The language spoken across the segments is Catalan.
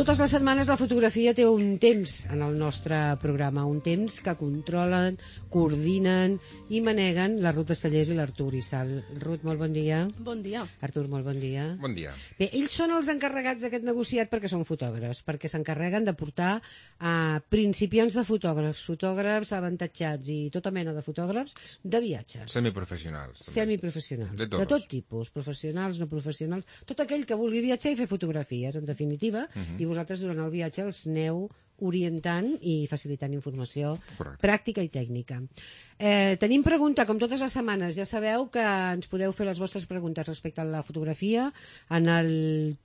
Totes les setmanes la fotografia té un temps en el nostre programa, un temps que controlen, coordinen i maneguen la Ruth Estellers i l'Artur Issal. Ruth, molt bon dia. Bon dia. Artur, molt bon dia. Bon dia. Bé, ells són els encarregats d'aquest negociat perquè són fotògrafs, perquè s'encarreguen de portar a principiants de fotògrafs, fotògrafs avantatjats i tota mena de fotògrafs de viatge. Semiprofessionals. També. Semiprofessionals. De tot tipus, professionals, no professionals, tot aquell que vulgui viatjar i fer fotografies, en definitiva, i vosaltres durant el viatge els aneu orientant i facilitant informació pràctica i tècnica. Tenim pregunta, com totes les setmanes. Ja sabeu que ens podeu fer les vostres preguntes respecte a la fotografia en el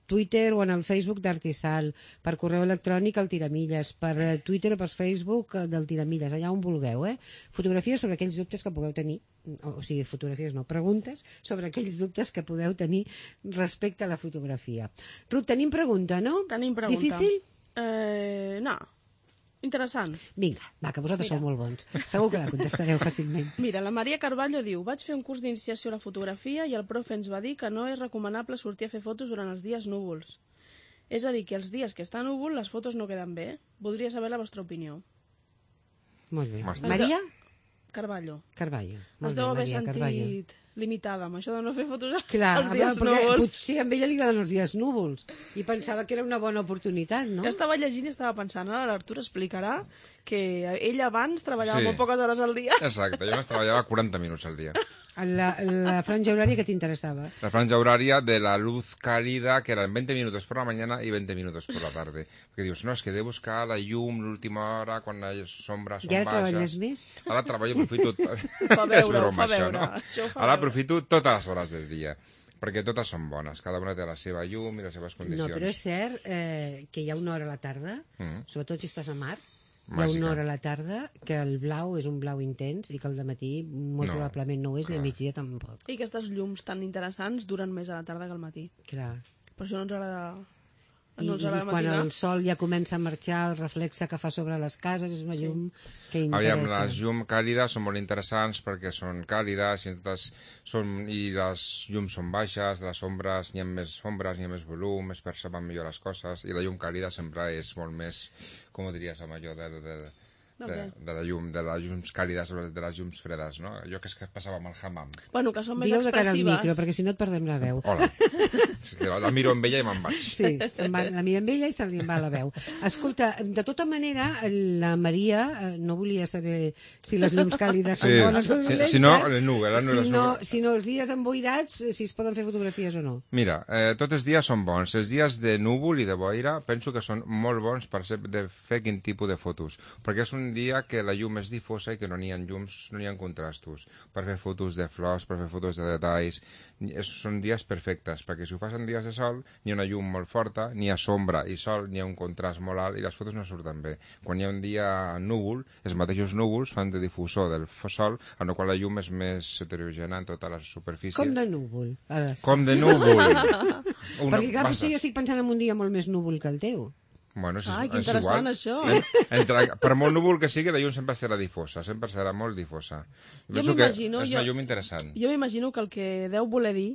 Twitter o en el Facebook d'Artisal, per correu electrònic al Tiramilles, per Twitter o per Facebook del Tiramilles, allà on vulgueu. Fotografies sobre aquells dubtes que pugueu tenir, o sigui, fotografies no, preguntes sobre aquells dubtes que podeu tenir respecte a la fotografia. Ruth, tenim pregunta, no? Tenim pregunta. Difícil? No. Interessant. Vinga, va, que vosaltres sou molt bons. Segur que la contestareu fàcilment. Mira, la Maria Carballo diu: vaig fer un curs d'iniciació a la fotografia i el profe ens va dir que no és recomanable sortir a fer fotos durant els dies núvols. És a dir, que els dies que està núvol les fotos no queden bé. Voldria saber la vostra opinió. Molt bé. Maria? Carballo. Carballo. Es deu haver sentit limitada amb això de no fer fotos als dies perquè núvols. Potser a ella li agraden els dies núvols i pensava que era una bona oportunitat, no? Jo estava llegint i estava pensant, ara l'Artur explicarà que ell abans treballava molt poques hores al dia. Exacte, jo només treballava 40 minuts al dia. La franja horària que t'interessava? La franja horaria de la luz cálida, que eran 20 minutos por la mañana y 20 minutos por la tarde. Perquè dius, no, és que he de buscar la llum l'última hora, quan les sombres són baixes. I ara treballes més? Ara treballo, aprofito... Fa veure, fa veure. Ara aprofito totes les hores del dia, perquè totes són bones, cada una té la seva llum i les seves condicions. No, però és cert que hi ha una hora a la tarda, sobretot si estàs a mar, hi ha Màgica. una hora a la tarda que el blau és un blau intens i que el dematí molt probablement no ho és, ni a migdia tampoc. I aquestes llums tan interessants duren més a la tarda que al matí. Clar. Per això no ens agrada... I quan el sol ja comença a marxar, el reflexe que fa sobre les cases és una llum que interessa. Aviam, les llums càlides són molt interessants perquè són càlides i les llums són baixes, de les ombres n'hi ha més ombres, n'hi ha més volum, es perceben millor les coses, i la llum càlida sempre és molt més, com ho diries amb allò de les llums càlides o de les llums fredes, no? Allò que passava amb el hammam. Bueno, que són més Digueu de cara al expressives. micro, perquè si no et perdem la veu. Hola. La miro amb ella i me'n vaig. Sí, la mira amb ella i se li en va la veu. Escolta, de tota manera, la Maria no volia saber si les llums càlides són bones o dolentes. Si no, les nubes. Si no, els dies emboirats, si es poden fer fotografies o no. Mira, tots els dies són bons. Els dies de núvol i de boira penso que són molt bons per fer quin tipus de fotos, perquè és un dia que la llum és difosa i que no n'hi ha llums, no n'hi ha contrastos. Per fer fotos de flors, per fer fotos de detalls, són dies perfectes, perquè si ho fas en dies de sol, n'hi ha una llum molt forta, n'hi ha sombra i sol, n'hi ha un contrast molt alt i les fotos no surten bé. Quan hi ha un dia núvol, els mateixos núvols fan de difusor del sol, en el qual la llum és més heterogènia en tota la superfície. Com de núvol. Com de núvol. Perquè clar, potser jo estic pensant en un dia molt més núvol que el teu. Bueno, que interessant, això. Per molt núvol que sigui, la llum sempre serà difosa, sempre serà molt difosa. Penso que és una llum interessant. Jo m'imagino que el que deu voler dir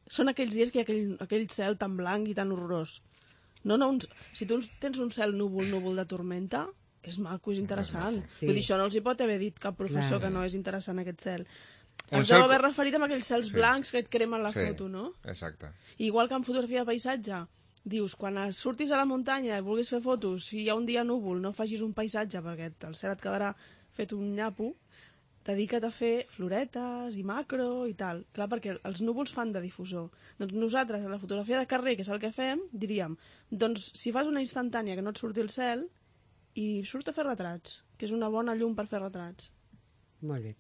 són aquells dies que hi ha aquell cel tan blanc i tan horrorós. Si tu tens un cel núvol de tormenta, és maco, és interessant. Sí. Vull dir, això no els hi pot haver dit cap professor que no és interessant aquest cel. Ens deu haver referit a aquells cels blancs que et cremen la foto, no? Exacte. Igual que en fotografia de paisatge, dius, quan surtis a la muntanya i vulguis fer fotos, si hi ha un dia núvol, no facis un paisatge perquè el cel et quedarà fet un nyapo, dedica't a fer floretes i macro i tal. Clar, perquè els núvols fan de difusor. Doncs nosaltres, a la fotografia de carrer, que és el que fem, diríem, doncs si fas una instantània que no et surti el cel, i surt a fer retrats, que és una bona llum per fer retrats. Molt bé.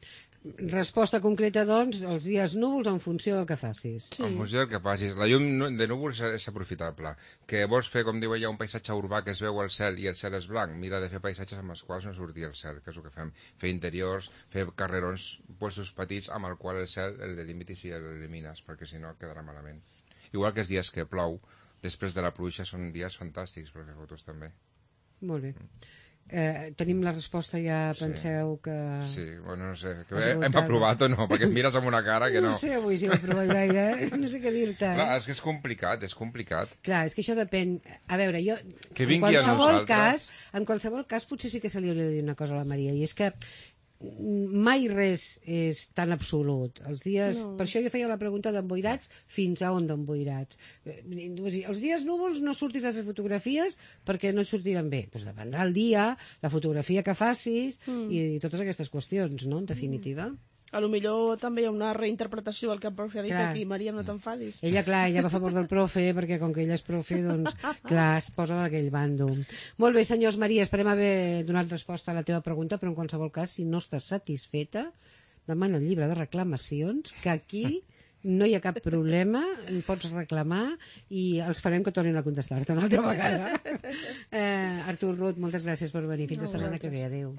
Resposta concreta, doncs, els dies núvols en funció del que facis. Sí. En funció del que facis. La llum de núvols és aprofitable. Que vols fer, com diu ella, un paisatge urbà que es veu el cel i el cel és blanc, mira de fer paisatges amb els quals no surti el cel, que és el que fem. Fer interiors, fer carrerons, puestos petits amb el qual el cel el delimitis i l'elimines, perquè si no quedarà malament. Igual que els dies que plou, després de la pluja són dies fantàstics per fer fotos també. Molt bé. Tenim la resposta ja, penseu que... Sí, bueno, no sé, que hem aprovat o no, perquè em mires amb una cara que no... No sé avui si ho he aprovat gaire, no sé què dir-te. Clar, és que és complicat. Clar, és que això depèn... A veure, jo... Que vingui a nosaltres... En qualsevol cas, potser sí que se li hauria de dir una cosa a la Maria, i és que mai res és tan absolut. Els dies... No. Per això jo feia la pregunta d'emboirats, fins a on d'emboirats. Els dies núvols no surtis a fer fotografies perquè no et sortiran bé. Doncs dependrà el dia, la fotografia que facis i totes aquestes qüestions, no?, en definitiva. A lo millor també hi ha una reinterpretació del que el profe ha dit aquí. Maria, no t'enfadis. Ella va a favor del profe, perquè com que ella és profe, doncs, clar, es posa d'aquell bando. Molt bé, senyors, Maria, esperem haver donat resposta a la teva pregunta, però en qualsevol cas, si no estàs satisfeta, demana el llibre de reclamacions, que aquí no hi ha cap problema, pots reclamar i els farem que tornin a contestar-te una altra vegada. Artur, Ruth, moltes gràcies per venir. Fins la setmana que ve. Adéu.